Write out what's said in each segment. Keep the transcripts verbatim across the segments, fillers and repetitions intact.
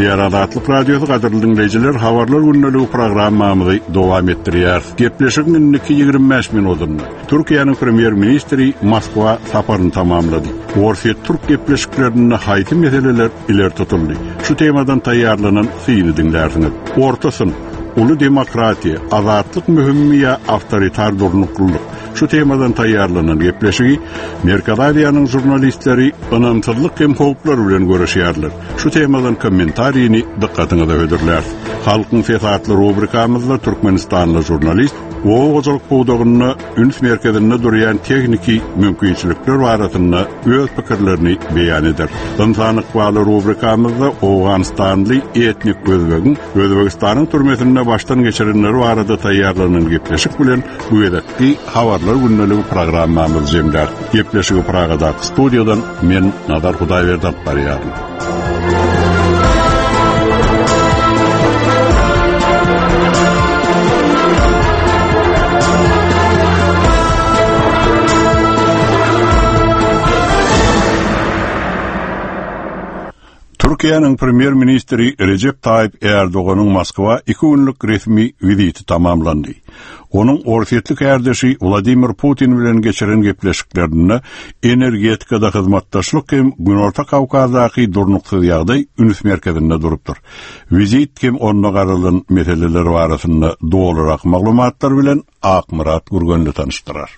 Gepleýär Azatlyk Radiosy gadyrly diňleýjiler, habarlar gündeligi programmamyzy dowam etdirýär. Gepleşigiň indiki ýigrimi bäş minutynda Türkiýäniň premýer-ministri Moskwa saparyny tamamlady. Orsýet Türk gepleşiklerinde haýsy meseleler ileri tutuldy? Şu temadan taýýarlanan syny diňlärsiňiz. Orta synp, uly demokratiýa, azatlyk möhümmi ýa awtoritar durnuklylyk? Şu temadan taýýarlanan gepleşigi Merkezi Aziýanyň žurnalistleri ynamsyzlyk hem howplar bilen görüşýärler. Şu temadan kommentarini dykgatyňyza hödürlär. Halkyň sesi atly rubrikamyzda Türkmenistanly žurnalist oba hojalyk pudagynda üns merkezinde durýan tehniki mümkinçilikler barasynda öz pikirlerini beýan eder. Ynsan ykbaly rubrikamyzda Owganystanly etnik Özbegiň Özbegistanyň türmesinde başdan geçirenleri barada taýýarlanan gepleşik bilen bu gezekki habarlar gündeligi programmamyz jemlär. Gepleşigi Pragadaky studiýadan men Nazar Hudaýberdi alyp barýaryn. Türkiýäniň premýer-ministri Rejep Taýyp Erdoganyň Moskwa iki günlük resmi wiziti tamamlandy. Onuň orsýetli kärdeşi Wladimir Putin bilen geçiren gepleşiklerinde energetikada hyzmatdaşlyk hem Günorta Kawkazdaky durnuksyz ýagdaý üns merkezinde durupdyr. Wizit hem onda garalan meseleler barasynda dolurak maglumatlar bilen Akmyrat Gürgenli tanyşdyrar.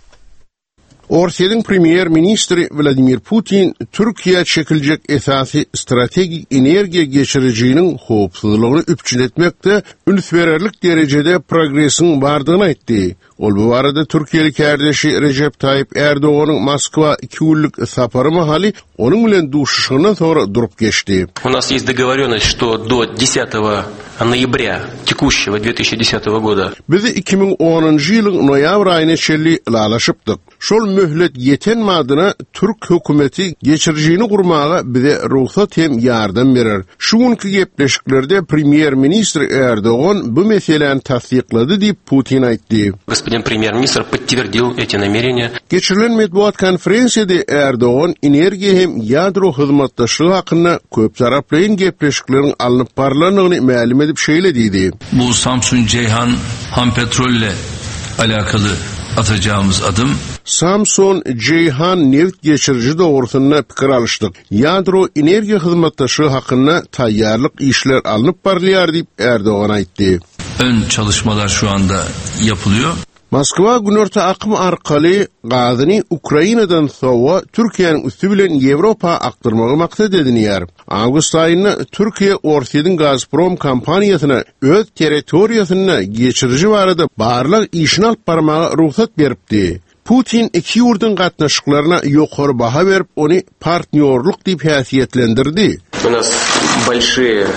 Orsýetiň premýer-ministri Wladimir Putin Türkiýä çekiljek esasy strategik energiýa geçirijiniň howpsuzlygyny üpjün etmekde üns bererlik derejede progresiň bardygyny aýtdy. Ol bu barada Türkiýeli kärdeşi Rejep Taýyp Erdoganyň Moskwa iki günlük sapary mahaly onuň bilen duşuşygyndan soňra durup geçdi. У нас есть договоренность, что до десятого ноября текущего две тысячи десятого года. Biz iki müň onunjy ýylyň noýabr aýyna çenli ylalaşypdyk. Şol möhlet ýeten madyna Türk hökümeti geçirijini gurmaga bize rugsat hem ýardam berer. Şu günki gepleşiklerde premýer-ministr Erdogan bu meseläni tassyklady diýip Putin aýtdy. Господин премьер-министр подтвердил эти намерения. Geçirilen metbugat konferensiýada Erdogan energiýa hem ýadro hyzmatdaşlygy hakynda köp taraplaýyn gepleşikleriň alnyp barylanyny mälim edip şeýle diýdi. Bu Samsun Ceyhan ham petrolle alakaly atacağımız adım. Samsun Ceyhan neft geçiriji dogrusynda pikir alyşdyk. Ýadro energiýa hyzmatdaşlygy hakynda taýýarlyk işler alnyp barylýar diýip Erdogan aýtdy. Ön çalışmalar şu anda yapılıyor. Moskwa Günorta akym arkaly gazyny Ukrainadan sowa Türkiýäniň üsti bilen Ýewropa akdyrmagy maksat edinýär. Awgust aýynda Türkiýe Orsýetiň Gazprom kompaniýasyna öz territoriýasynda geçiriji barada barlag işini alyp barmaga rugsat beripdi. Putin iki ýurduň gatnaşyklaryna ýokary baha berip, ony partnýorlyk diýip häsiýetlendirdi. У нас большие,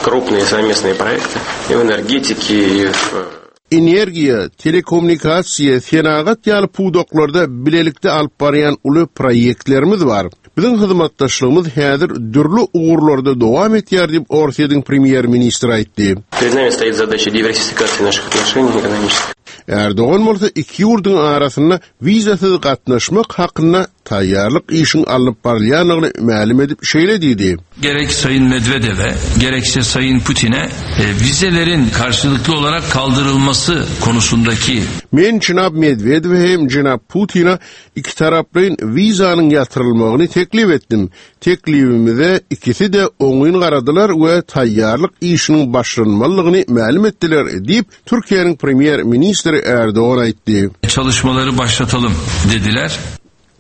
крупные совместные проекты и в энергетике, и в Energiýa, telekommunikasiýa, senagat ýaly pudaklarda bilelikde alyp barýan uly proýektlerimiz bar. Biziň hyzmatdaşlygymyz häzir dürli ugurlarda dowam etýär diýip Orsýetiň premýer-ministri aýtdy. Перед нами стоит задача диверсификации наших отношений экономических. Erdogan bolsa iki ýurduň arasynda wizasyz gatnaşmak hakynda taýýarlyk işiň alnyp barylýanyny mälim edip şeýle diýdi. Gerek Sayın Medvedev'e, gerekse Sayın Putin'e, e, vizelerin karşılıklı olarak kaldırılması konusundaki Men Cenab Medvedev'e hem Cenab Putin'e iki taraplaýyn wizanyň ýatyrylmagyny teklip etdim. Teklibimize ikisi de oňyn garadylar we taýýarlyk işiniň başlanmalygyny mälim etdiler diýip Türkiýäniň premýer-ministri Erdogan aýtdy. Çalışmaları başlatalım dediler.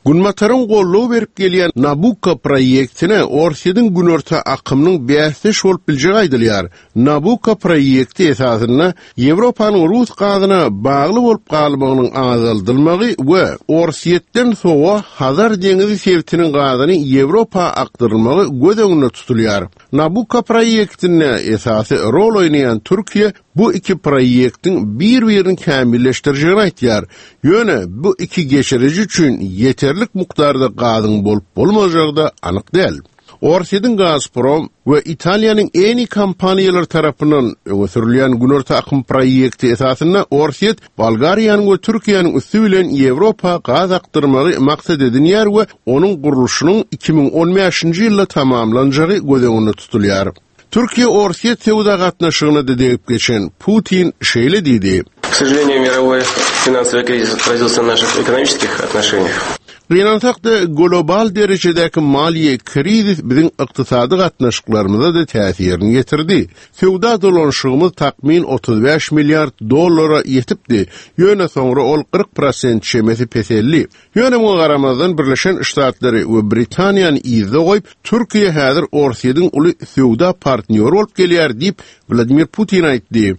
Günbataryň gollugy berip gelýän Nabucco proýektine Orsýetiň Günorta akymynyň bäsdeş bolup biljegi aýdylýar. Nabucco proýekti esasynda Ýewropanyň Rus gazyna bagly bolup galmagynyň azaldylmagy we Orsýetden sowa Hazar deňizi sebitiniň gazyny Ýewropa akdyrylmagy göz öňünde tutulýar. Nabucco proýektinde esasy rol oýnaýan Türkiýe bu iki proýektiň bir-birini kämilleşdirjegini aýtýar. Ýöne bu iki geçiriji üçin ýeterlik mukdarda gazyň bolup bolmajagy da anyk däl. Orsýetiň Gazprom we Italiýanyň Eni kompaniýalary tarapyndan öňe sürülýän Günorta akym proýekti esasynda Orsýet Bolgariýanyň we Türkiýäniň üsti bilen Ýewropa gaz akdyrmagy maksat edinýär we onuň gurluşynyň iki müň on bäşinji ýylda tamamlanjagy göz öňünde tutulýar. Türkiýe Orsýet söwda gatnaşygyna da degip geçen Putin şeýle diýdi. К сожалению, мировой финансовый кризис отразился на наших экономических отношениях. Gynansak-da global derejedäki maliýe krizis biziň ykdysady gatnaşyklarymyza da täsirini ýetirdi. Söwda dolanşygymyz takmyn otuz bäş milliard dollara ýetipdi. Ýöne soňra ol kyrk prosent çemesi peseldi. Ýöne muňa garamazdan Birleşen Ştatlary we Britaniýany yzda goýup, Türkiýe häzir Orsýetiň uly söwda partnýory bolup gelýär diýip Wladimir Putin aýtdy.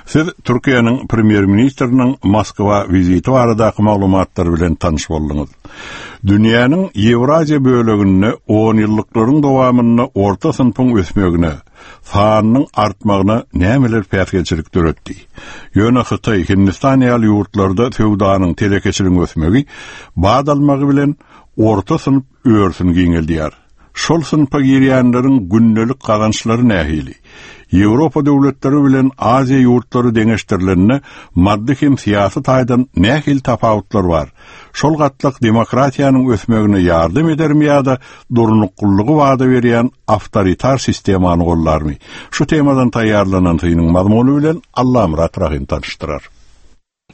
Siz Türkiýäniň premýer-ministriniň Moskwa wiziti baradaky maglumatlar bilen tanyş bolduňyz. Dünýäniň Ýewraziýa böleginde on ýyllyklaryň dowamynda orta synpyň ösmegine, sanynyň artmagyna nämeler päsgelçilik döretdi? Ýöne Hytaý, Hindistan ýaly ýurtlarda söwdanyň telekeçiligiň ösmegi bad almagy bilen orta synp örsün giňeldýär. Şol synpa girýänleriň gündelik gazançlary nähili? Ýewropa döwletleri bilen Aziýa ýurtlary deňeşdirilende maddy hem syýasy taýdan nähili tapawutlar bar? Şol gatlak demokratiýanyň ösmegine ýardam edermi ýa-da durnuklylygy wada berýän awtoritar sistemany gollarmy? Şu temadan taýýarlanan synyň mazmuny bilen Allamyrat Rahim tanyşdyrar.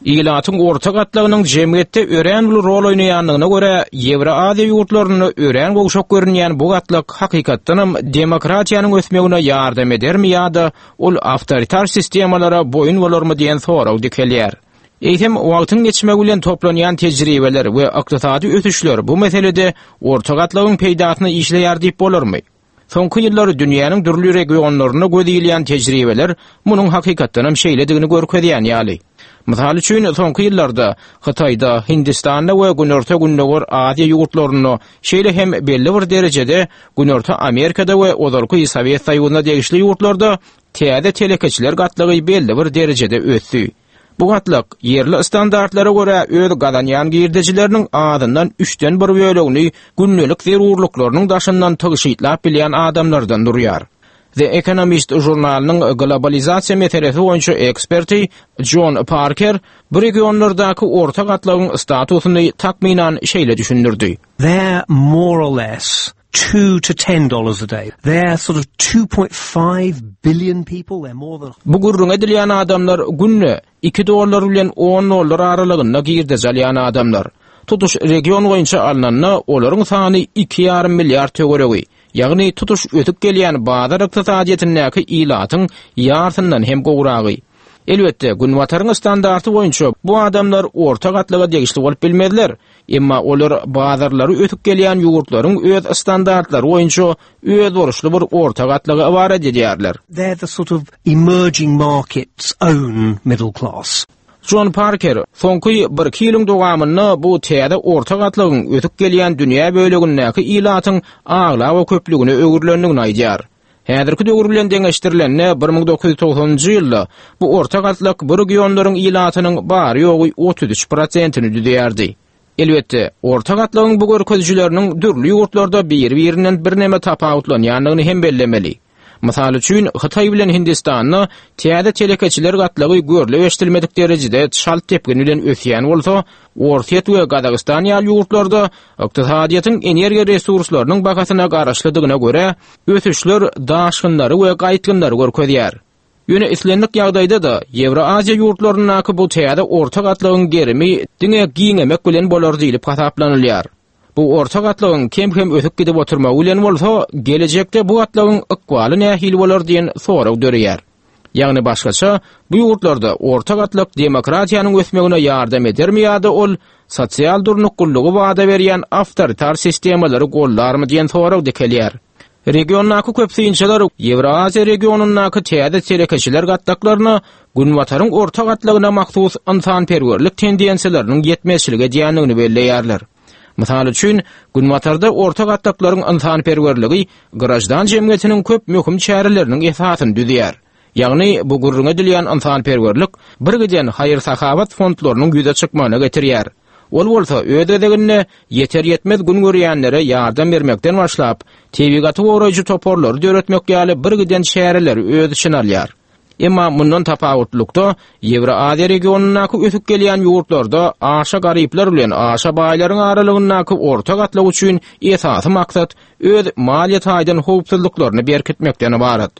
Ilatyň orta gatlagynyň jemgyýetde örän uly rol oýnaýandygyna görä, Ýewroaziýa ýurtlarynda örän gowşak görünýän bu gatlak hakykatdanam demokratiýanyň ösmegine ýardam edermi ýa-da ol awtoritar sistemalara boýun bolarmy diýen sorag dikelýär. Eýsem, wagtyň geçmegi bilen toplanýan tejribeler we ykdysady ösüşler bu meselede orta gatlagyň peýdasyna işleýär diýip bolarmy? Soňky ýyllar dünýäniň dürli regionlarynda göz ilýän tejribeler munuň hakykatdanam şeýledigini görkezýän ýaly. Mysal üçin, soňky ýyllarda Hytaýda, Hindistanda we Günorta-Gündogar Aziýa ýurtlarynda, şeýle hem belli bir derejede Günorta Amerikada we ozalky Sowet Soýuzyna degişli ýurtlarda täze telekeçiler gatlagy belli bir derejede ösdi. Bu gatlak ýerli standartlara görä öz gazanýan girdejileriniň azyndan üçden bir bölegini gündelik zerurlyklarynyň daşyndan tygşytlap bilýän adamlardan durýar. The Economist žurnalynyň globalizasiýa meselesi boýunça eksperti John Parker bu regionlardaky orta gatlagyň statusyny takmynan şeýle düşündirdi. They're more or less two to ten dollars a day. They're sort of two point five billion people. They're more than Bu gürrüň edilýän adamlar günde iki dollar bilen on dollar aralygynda girdeji alýan adamlar. Tutuş region boýunça alnanda olaryň sany iki ýarym milliard töweregi. Ýagny tutuş ötüp gelýän bazar ykdysadyýetindäki ilatyň ýarysyndan hem gowragy. Elbetde, Günbataryň standarty boýunça bu adamlar orta gatlaga degişli bolup bilmezler. Emma olar bazarlary ötüp gelýän ýurtlaryň öz standartlary boýunça öz borçly bir orta gatlaga ybarat edýärler. They're the sort of emerging markets own middle class. John Parker soňky bir iki ýylyň dowamynda bu täze orta gatlagyň ötüp gelýän dünýä bölegindäki ilatyň aglaba köplügine öwrülendigini aýdýar. Häzirki döwür bilen deňeşdirilende bir müň dokuz ýüz togsanynjy ýylda bu orta gatlak bu regionlaryň ilatynyň bary ýogy otuz üç prosentini düzýärdi. Elbetde, orta gatlagyň bu görkezijileriniň dürli ýurtlarda bir-birinden birneme tapawutlanýandygyny hem bellemeli. Mysal üçin, Hytaý bilen Hindistanda täze telekeçiler gatlagy görlüp eşidilmedik derejede çalt tepkin bilen ösýän bolsa, Orsýet we Gazagystan ýaly ýurtlarda ykdysadyýetiň energiýa resurslarynyň bahasyna garaşlydygyna görä, ösüşler daşgynlary we gaýtgynlary görkezýär. Ýöne islendik ýagdaýda da Ýewroaziýa ýurtlaryndaky bu täze orta gatlagyň gerimi diňe giňemek bilen bolar diýlip hasaplanylýar. Bu orta gatlagyň kem-kem ösüp gidip oturmagy bilen bolsa, gelejekde bu gatlagyň ykbaly nähili bolar diýen sorag döreýär. Ýagny başgaça, bu ýurtlarda orta gatlak demokratiýanyň ösmegine ýardam edermi ýa-da ol sosial durnuklylygy wada berýän awtoritar sistemalary gollarmy diýen sorag dikelýär. Regiondaky köp synçylar Ýewroaziýa regionyndaky täze telekeçiler gatlaklaryna Günbataryň orta gatlagyna mahsus ynsanperwerlik tendensiýalarynyň ýetmezçilik edýändigini belleýärler. Mysal üçin, Günbatarda orta gatlaklaryň ynsanperwerligi grajdan jemgyýetiniň köp möhüm çäreleriniň esasyny düzýär. Ýagny bu gürrüň edilýän ynsanperwerlik bir giden haýyr-sahawat fondlarynyň ýüze çykmagyna getirýär. Ol bolsa öz gezeginde ýeter ýetmez gün görýänlere ýardam bermekden başlap, tebigaty goraýjy toparlary döretmek ýaly bir giden çäreleri öz içine alýar. Emma mundan tapawutlykda Ýewroaziýa regionyndaky ösüp gelýän ýurtlarda aşa garyplar bilen aşa baýlaryň aralygyndaky orta gatlak üçin esasy maksat öz maliýe taýdan howpsuzlyklaryny berkitmekden ybarat.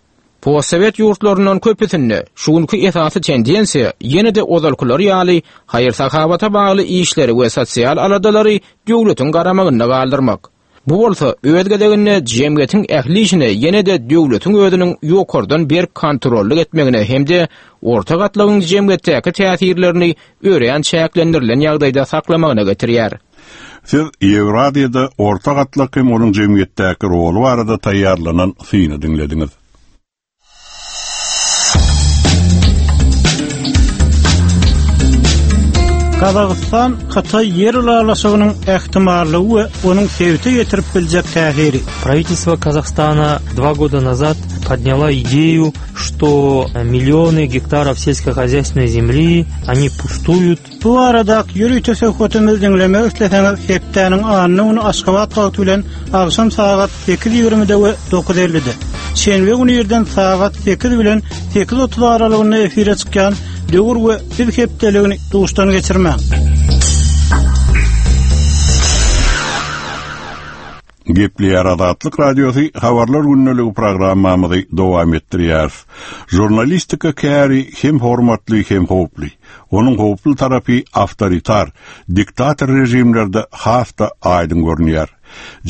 Postsovet ýurtlaryndan köpüsinde şu günki esasy tendensiýa ýene-de ozalkylar ýaly haýyr-sahawata bagly işleri we sosial aladalary döwletiň garamagynda galdyrmak. Bu bolsa öz gezeginde jemgyýetiň ähli işine ýene-de döwletiň özüniň ýokardan berk kontrollyk etmegine hem-de orta gatlagyň jemgyýetdäki täsirlerini örän çäklendirilen ýagdaýda saklamagyna getirýär. Siz Ýewraziýada orta gatlak hem onuň jemgyýetdäki roly barada taýýarlanan syny diňlediňiz. Gazagystan Hytaý ýer ylalaşygynyň ähtimallygy we onuň sebite ýetirip biljek täsiri. Правительство Казахстана два года назад подняла идею, что миллионы гектаров сельскохозяйственной земли, они пустуют. Bu arada ýörite söhbetimizi diňlemek isleseňiz hepdäniň anna güni Aşgabat wagty bilen agşam sagat sekiz ýigrimide we dokuz ellide. Şenbe güni irden sagat sekiz bilen sekiz otuz aralygynda efire çykýan Döwür we Biz hepdeligini duşdan geçirmäň. Gepleýär Azatlyk Radiosy habarlar gündeligi programmamyzy dowam etdirýär. Žurnalistika käri hem hormatly hem howply. Onuň howply tarapy avtoritar, diktator rejimlerde has-da aýdyň görünýär.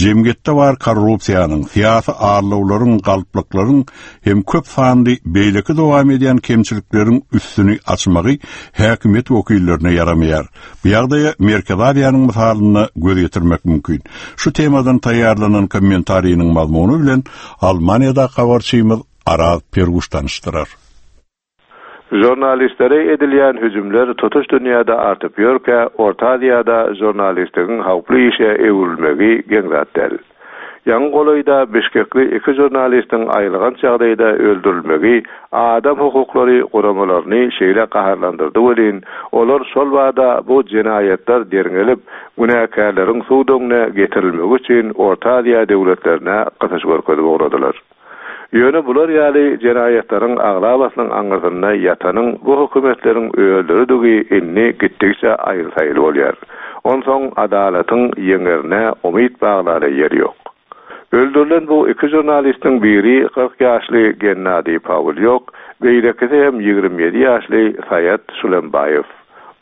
Jemgyýetde bar korrupsiýanyň, syýasy arlawlaryň, galplyklaryň hem köp sanly beýleki dowam edýän kemçilikleriň üstüni açmagy häkimiýet wekillerine ýaramaýar. Bu ýagdaýa Merkezi Aziýanyň mysalynda göz ýetirmek mümkin. Şu temadan taýýarlanan kommentariniň mazmuny bilen Almaniýada habarçymyz Araz Perguş tanyşdyrar. Žurnalistlere edilýän hüjümler tutuş dünýäde artyp ýörkä, Orta Aziýada žurnalistligiň howply işe öwrülmegi geň zat däl. Ýaňy golaýda Bişkekli iki žurnalistiň aýylganç ýagdaýda öldürilmegi adam hukuklary guramalaryny şeýle gaharlandyrdy welin, olar şol bada bu jenaýatlar derňelip, günäkärleriň sud öňüne getirilmegi üçin Orta Aziýa döwletlerine gysyş görkezip ugradylar. Ýöne bular ýaly jenaýatlaryň aglabasynyň aňyrsynda ýatanyň bu hökümetleriň öldürdigi indi gitdikçe aýyl-saýyl bolýar. Onsoň adalatyň ýeňerine umyt baglara ýer ýok. Öldürilen bu iki žurnalistiň biri kyrk ýaşly Gennadiý Pawlýok, beýlekisi hem ýigrimi ýedi ýaşly Saýat Şulembaýew.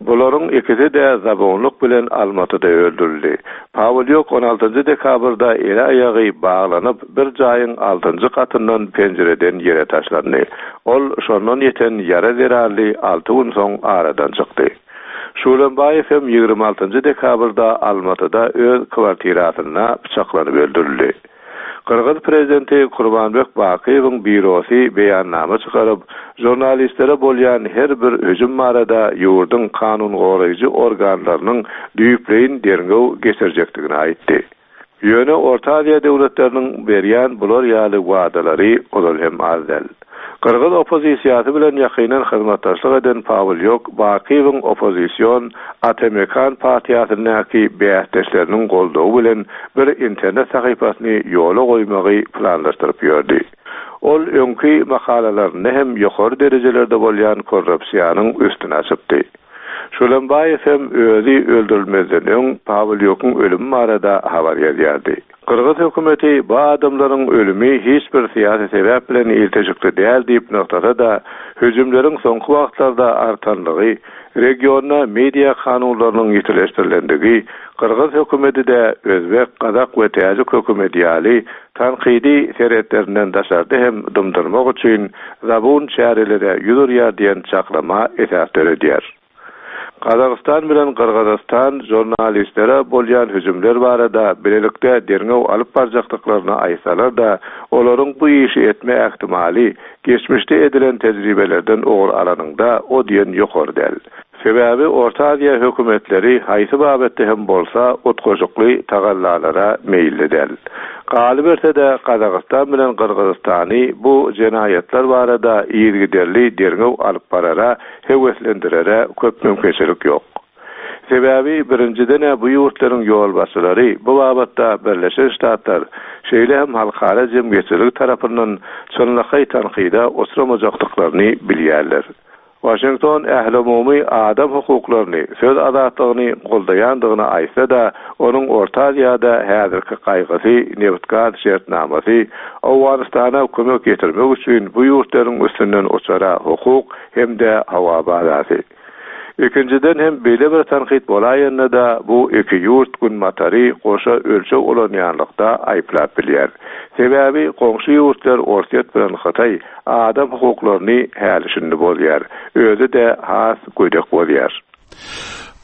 Bularyň ikisi de zabonlyk bilen Almatyda öldürildi. Pawlýok on altynjy dekabrda eli aýagy baglanyp, bir jaýyň altynjy katyndan penjireden ýere taşlandy. Ol şondan ýeten ýara zerarly alty gün soň aradan çykdy. Şulembaýew hem ýigrimi altynjy dekabrda Almatyda öz kwartirasynda bıçaklanyp öldürildi. Gyrgyz prezidenti Kurbanbek Bakyýewiň bürosy beýannama çykaryp, žurnalistlere bolýan her bir hüjüm barada ýurduň kanun goraýjy organlarynyň düýpleýin derňew geçirjekdigini aýtdy. Ýöne Orta Aziýa döwletleriniň berýän bular ýaly wadalary ozal hem az däl. Gyrgyz oppozisiýasy bilen ýakyndan hyzmatdaşlyk eden Pawlýok Bakyýewiň oppozision Atamekan partiýasyndaky bäsdeşleriniň goldawy bilen bir internet sahypasyny ýola goýmagy planlaşdyryp ýördi. Ol öňki makalalarynda hem ýokary derejelerde bolýan korrupsiýanyň üstüni açypdy. Şulembaýew hem özi öldürilmezden öň Pawlýokyň ölümi barada habar ýazýardy. Gyrgyz hökümeti bu adamlaryň ölümi hiç bir syýasy sebäp bilen ilteşikli däl diýip nygtasa-da, hüjümleriň soňky wagtlarda artanlygy, regionda media kanunlarynyň ýitileşdirilendigi, Gyrgyz hökümeti de Özbek, Gazak we Täjik hökümeti ýaly tankydy seretlerinden daşarda hem dymdyrmak üçin zabun çärelere ýüz urýar diýen çaklama esas döredýär. Gazagystan bilen Gyrgyzystan žurnalistlere bolýan hüjümler barada bilelikde derňew alyp barjakdyklaryny aýtsalar-da, olaryň bu işi etme ähtimaly geçmişde edilen tejribelerden ugur alanyňda o diýen ýokary däl. Sebäbi Orta Aziýa hökümetleri haýsy babatda hem bolsa utgaşykly tagallalara meýilli däl. Galyberse-de Gazagystan bilen Gyrgyzystany bu jenaýatlar barada yzygiderli derňew alyp barara, höweslendirere köp mümkinçilik ýok. Sebäbi birinjiden bu ýurtlaryň ýolbaşçylary bu babatda Birleşen Ştatlar, şeýle hem halkara jemgyýetçiligi tarapyndan çynlakaý tankyda oturamajakdyklaryny bilýärler. Washington ählumumy adam hukuklaryny, söz azatlygyny goldaýandygyny aýtsa-da, onuň Orta Aziýada häzirki gaýgysy nebit-gaz şertnamasy Owganystana kömek ýetirmek üçin bu ýurtlaryň üstünden uçara hukuk hem-de hawa bazasy. Ikinjiden hem beýle bir tankyt bolaýanda-da bu iki ýurt günbatary goşa ölçeg ulanýanlykda aýyplap bilýär. Sebäbi goňşy ýurtlar Orsýet bilen Hytaý adam hukuklaryny häli-şindi bozýar. Özi-de has gödek bozýar.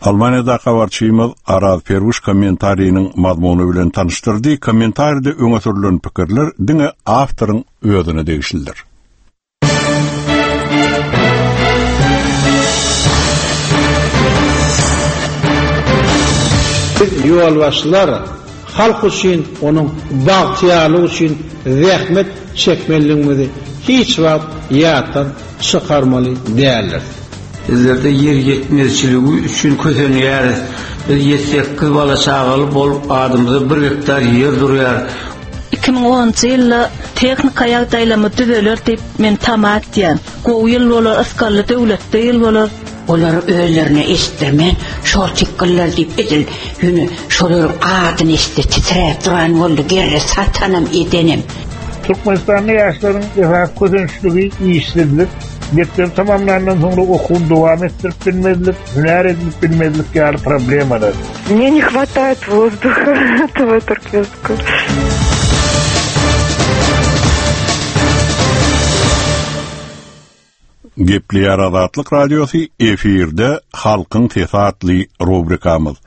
Almanyýada habarçymyz Araz Perwiş kommentariniň mazmuny bilen tanyşdyrdy. Kommentaride öňe sürülen pikirler diňe awtoryň özüne degişlidir. Biz ýolbaşçylar halk üçin, onuň bagtyýarlygy üçin zähmet çekmeliligimizi hiç wagt ýatdan çykarmaly däldir. Bizlerde ýer ýetmezçiligi üçin kösenýäris. Biz ýedi sekiz bala çagaly bolup adymyza bir gektar ýer durýar. Iki müň onunjy ýylda tehnika ýagdaýlamy düzeler diýip men tama etýän. Gowy ýyl bolar, ysgally döwletde ýyl bolar. Olar özlerine eşitdirmän, şol tikgiller diýip edil, ýöne şolaryň adyny eşitdi, titräp duran boldy, gerre satanam edenem. Türkmenistanly ýaşlaryň esas kösençligi işsizlik, mekdep tamamlandan soňra okuwyny dowam etdirip bilmezlik, hünär edinip bilmezlik ýaly problemalar. Мне не хватает воздуха этого туркменского. Gepleýär Azatlyk Radiosy efirde Halkyň sesi atly rubrikamyz.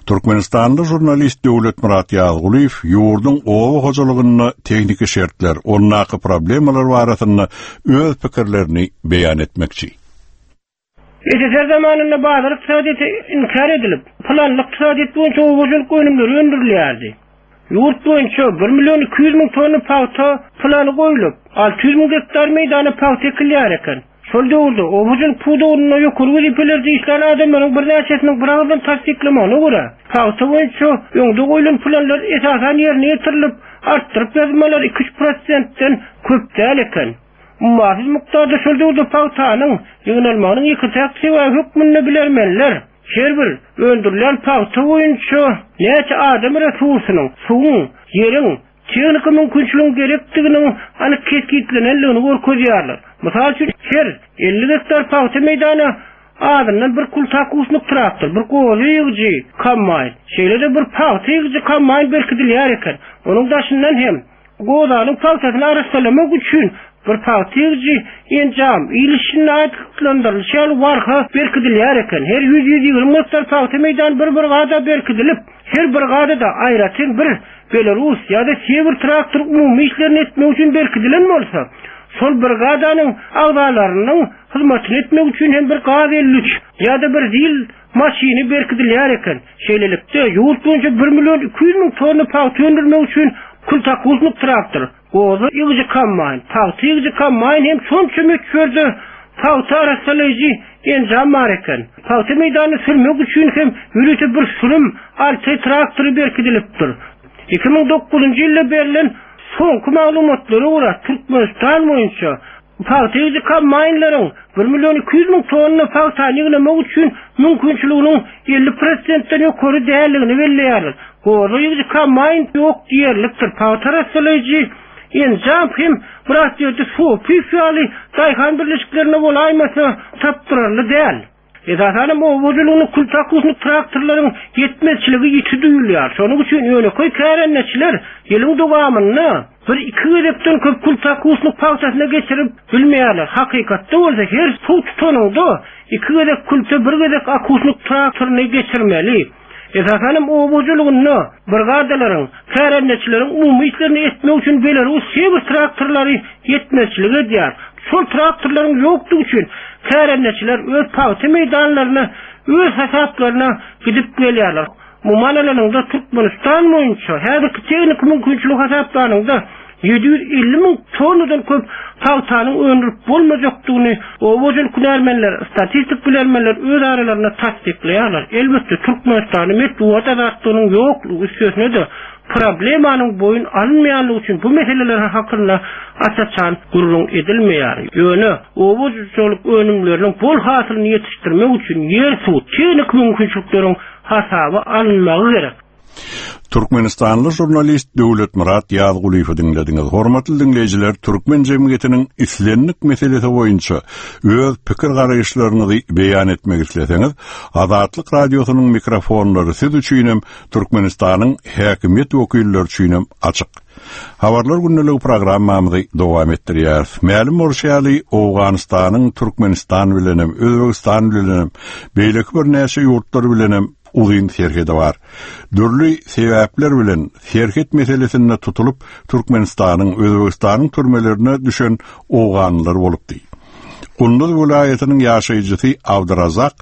Türkmenistanly žurnalist Döwletmyrat Ýazgulyýew ýurduň oba hojalygynda tehniki şertler, ondaky problemalar barasynda öz pikirlerini beýan etmekçi. S S S R zamanynda bazar ykdysadyýeti inkar edilip, planly ykdysadyýet boýunça oba hojalyk önümleri öndürilýärdi. Ýurt boýunça bir million iki ýüz müň tonna pagta plany goýlup, alty ýüz müň gektar meýdana pagta ekilýär eken. Şol döwürde oba hojalyk pudagynda ýokary wezipelerde işlän adamlaryň birnäçesiniň bir ağızdan tassyklamagyna görä, pagta boýunça öňde goýlan planlar esasan ýerine ýetirilip, artdyryp ýazmalar iki üç prosentden köp däl eken. Ummasyz mukdarda şol döwürde pagtanyň ýygnalmagynyň iki täk sebäbi hökmünde bilermenler her bir öndürilen pagta boýunça näçe adam resursynyň, suwuň, ýeriň, tehnika mümkinçiligiň gerekdiginiň anyk kesgitlenenligini görkezýärler. Mysal üçin, her elli gektar pagta meýdany azyndan bir kultakuslyk traktor, bir gozy ýygyjy kombaýn, şeýle-de bir pagta ýygyjy kombaýn berkidilýär eken. Onuň daşyndan hem gozanyň pagtasyny arassalamak üçin bir pagta ýygyjy enjam, il işinde aýtyklandyrylyş ýaly warha berkidilýär eken. Her ýüz ýüz ýigrimi gektar pagta meýdany bir brigada berkidilip, her brigadada aýratyn bir Belarus ýa-da Sewer traktor umumy işlerini etmek üçin berkidilen bolsa, şol brigadanyň agzalarynyň hyzmatyny etmek üçin hem bir gaz elli üç ýa-da bir zil maşyny berkidilýär eken. Şeýlelikde, ýurt boýunça bir million iki ýüz müň tonna pagta öndürmek üçin kultakuslyk traktor, gozy ýygyjy kombaýn, pagta ýygyjy kombaýn hem şonça möçberde pagta arassalaýjy enjam bar eken. Pagta meýdanyny sürmek üçin hem ýörite bir sürüm alty traktory berkidilipdir. Iki müň dokuzunjy ýylda berlen soňky maglumatlara görä Türkmenistan boýunça pagta ýygyjy kombaýnlaryň bir million iki ýüz müň tonna pagtany ýygnamak üçin mümkinçiliginiň elli prosentden ýokary däldigini belleýärler. Gozy ýygyjy kombaýn ýok diýerlikdir. Pagta arassalaýjy enjam hem biraz ýerde sopyf ýaly daýhan birleşiklerine bolaýmasa tapdyrarly däl. Esasanam oba hojalygynyň kultakuslyk traktorlaryň ýetmezçiligi ýiti duýulýar. Şonuň üçin ýönekeý kärendeçiler ýylyň dowamynda bir iki gezekden köp kultakuslyk pagtasyna geçirip bilmeýärler. Hakykatda bolsa her suw tutanynda iki gezek külte bir gezek akuslyk traktoryny geçirmeli. Esasanam oba hojalygynda brigadalaryň, kärendeçileriň umumy işlerini etmek üçin Belarus Sewer traktorlary ýetmezçilik edýär. Şol traktorlaryň ýokdugy üçin kärendeçiler öz pagta meýdanlaryna, öz hasaplaryna gidip gelýärler. Umuman alanynda Türkmenistan boýunça häzirki tehniki mümkinçilik hasaplanynda ýedi ýüz elli müň tonnadan köp pagtanyň öndürip bolmajakdygyny oba hojalyk hünärmenler, statistik bilermenler öz aralarynda tassyklaýarlar. Elbetde Türkmenistanda metbugat azatlygynyň ýoklugy üstesine-de Problemanyň boýun alynmaýanlygy üçin bu meseleler hakynda aç-açan gürrüň edilmeýär. Ýöne oba hojalyk önümleriniň bol hasylyny ýetişdirmek üçin ýer, suw, tehniki mümkinçilikleriň hasaba alynmagy gerek. Türkmenistanly žurnalist Döwletmyrat Ýazgulyýewi diňlediňiz. Hormatly diňleýjiler, türkmen jemgyýetiniň islendik meselesi boýunça öz pikir garaýyşlaryňyzy beýan etmek isleseňiz, Azatlyk radiosynyň mikrofonlary siz üçinem Türkmenistanyň häkimiýet wekilleri üçinem açyk. Habarlar gündeligi programmamyzy dowam etdirýäris. Mälim bolşy ýaly, Owganystanyň Türkmenistan bilenem, Özbegistan bilenem, beýleki birnäçe ýurtlar bilenem uzyn serhedi bar. Dürli sebäpler bilen serhet meselesinde tutulyp Türkmenistanyň, Özbegistanyň türmelerine düşen owganlylar bolupdy. Gunduz welaýatynyň ýaşaýjysy Abdyrazak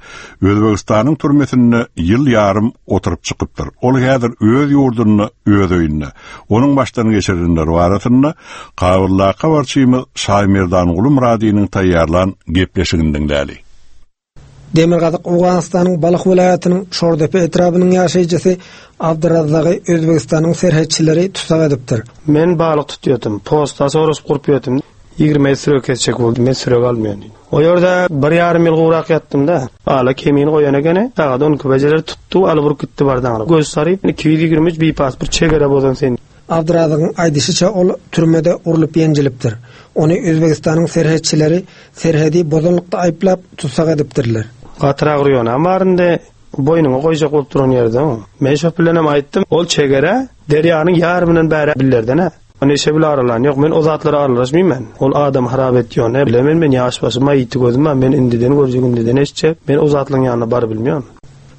Özbegistanyň türmesinde ýyl ýarym oturyp çykypdyr. Ol häzir öz ýurdunda, öz öýünde. Onuň başdan geçirenleri barasynda Kabuldaky habarçymyz Şaýmerdanguly Myradynyň taýýarlan gepleşigini diňläli. Demirgazyk Owganystanyň Balh welaýatynyň Şordepe etrabynyň ýaşaýjysy Abdyrazzagy Özbegistanyň serhetçileri tussag edipdir. Men balyk tutýardym, posta sorup gurup ýördim. Ýigrimi sürek kesjek boldy, men sürek almaýan. O ýerde bir ýarym ýyl gurak ýatdym da. Ala kemini goýan ekeni, sagat on iki bejeler tutdy, alyp urup gitdi bardan. Göz saryp, iki ýüz ýigrimi üç bir pasport çegere bozan sen. Abdyrazzagyň aýdyşyça ol türmede urlup ýenjilipdir. Ony Özbegistanyň serhetçileri serhedi bozanlykda aýyplap tussag edipdirler. Gatyrak urýan barynda boýnuňa goýjak bolup duran ýerde. Men şo bilenem aýtdym, ol çegere derýanyň ýarymyndan bäri billerden-ä. Neşe bile aralan ýok, men o zatlara aralaşmaýyn men. Ol adam harap etýän, ne bilemen men ýaş başyma ýiti gözüm bar, men indiden görjek, indiden eşitjek. Men o zatlaryň ýanyna baryp bilmeýän.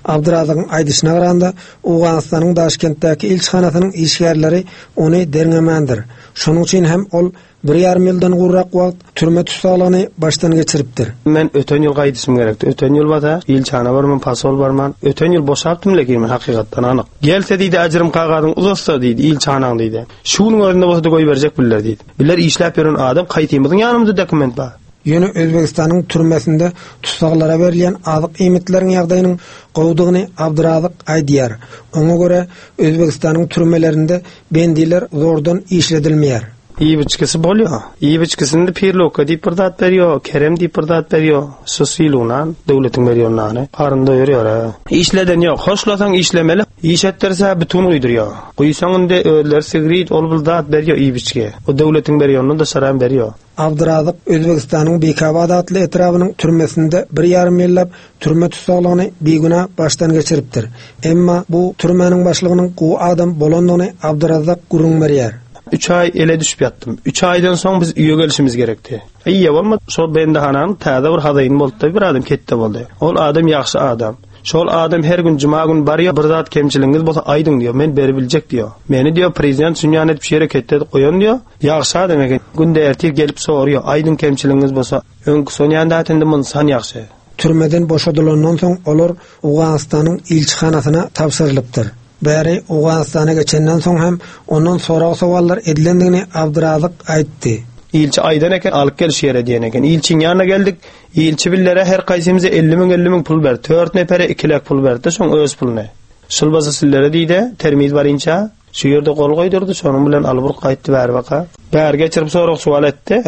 Abdyrazzagyň aýdyşyna garanda, Owganystanyň Daşkentdäki ilçihanasynyň işgärleri ony derňemändir. Şonuň üçin hem ol bir ýarym ýyldan gurrak wagt türme tussaglygyny başdan geçiripdir. Men öten ýyl gaýdyşym gerekdi. Öten ýyl bata, ilçihana barman, pasol barman, öten ýyl boşapdym lekin men hakykatdan anyk. Gelse diýdi, ajrym kagazyň uzatsa diýdi, ilçihanaň diýdi. Şunuň özünde bolsa da goýberjek biller diýdi. Biller işläp ýören adam kaýtymyzyň ýanymyzda dokument bar. Ýöne Özbegistanyň türmesinde tussaglara berilýän azyk iýmitleriň ýagdaýynyň gowudygyny Abdyrazyk aýdýar. Oňa görä Özbegistanyň türmelerinde bendiler zordan işledilmeýär. Iýip-içgisi bolýar. Iýip-içgisinde pirlokka diýip bir zat berýär, kerem diýip bir zat berýär. Şu silunan döwletiň berýän nany. Garyn doýurýar. ha. Işleden ýok, hoşlasaň işlemeli. Iş etdirse bütün guýdurýar. Guýsaň indi özleri sigrit ol bir zat berýär iýip-içgi. O döwletiň berýänini da şaram berýär. Abdyrazyk Özbegistanyň Bekabad atly etrabynyň türmesinde bir ýarym ýyllap türme tussaglygyny bigünä başdan geçiripdir. Emma bu türmäniň başlygynyň gowy adam bolandygyny Abdyrazzak gürrüň berýär. Üç aý ele düşüp ýatdym. Üç aýdan soň biz öýe gelişimiz gerekdi. Eýe bolmady. Şol bendihananyň täze bir hazaýyny boldy, bir adam ketde boldy. Ol adam ýagşy adam. Şol adam her gün juma gün barýar, bir zat kemçiligiňiz bolsa aýdyň diýär, men beri biljek diýär. Meni diýär prezident şunýan edip şeýre ketde goýan diýär. Ýagşy adam eken. Günde ertir gelip soruyor, aýdyň kemçiligiňiz bolsa, öňkü sonýan datynda munsan ýagşy. Türmeden boşadylandan soň olar Owganystanyň ilçihanasyna tabşyrylypdyr. Bäri Owganystana geçenden soň hem ondan sorag sowallar edilendigini Abdyrazyk aýtdy. Ilçi aýdan eken, alyp gel şu ýere diýen eken. Ilçiň ýanyna geldik. Ilçi billere her kaýsymyza elli müň, elli müň pul berdi. Dört nepere iki lek pul berdi, şoň öz puluny. Şul bolsa sillere diýdi, termiz barynça şu ýerde gol goýdurdy, şonuň bilen alyp urup gaýtdy bäri baka. Bäri geçirip sorag suwal etdi.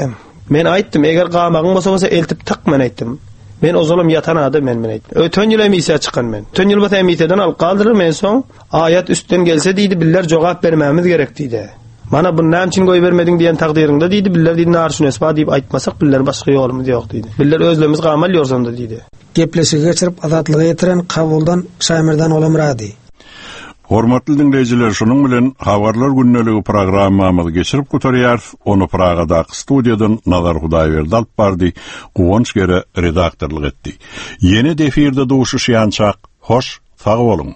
Men aýtdym, eger gamagyň bolsa bolsa eltip tak men aýtdym. Men ozalam ýatan adam men men aýtdym. Öten ýyl emisiýa çykan men. Öten ýyl bolsa emisiýadan alyp galdylar men soň aýat üstden gelse diýdi, biller jogap bermämiz gerek diýdi. Mana bunu näme üçin goýbermediň diýen takdyryňda diýdi, biller diýdi, nar şunu esba diýip aýtmasak biller başga ýolumyz ýok diýdi. Biller özlerimiz gamal ýorsanda diýdi. Gepleşigi geçirip azatlyga ýetiren Kabuldan Şaýmerdan Olamrady. Hormatly diňleýjiler, şunuň bilen Habarlar gündeligi programmamyzy geçirip gutarýarys. Ony Pragadaky studiýadan Nazar Hudaýberdi alyp bardy, Guwanç Gere redaktorlyk etdi. Ýene defirde duşuşýançak, hoş, sag boluň.